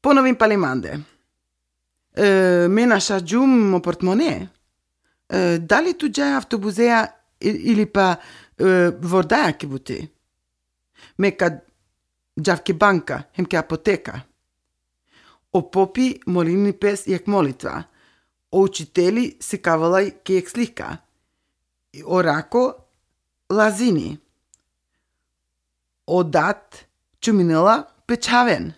Ponovim palimande. Mena šađum mo portmone. Dali tu džaj avtobuzeja ili pa vordaja ke buti. Meka džavke banka, hemke apoteka. O popi molilni pes jak molitva. O učiteli se kavalaj ke jak slika. O rako lazini. O dat čuminela pečaven.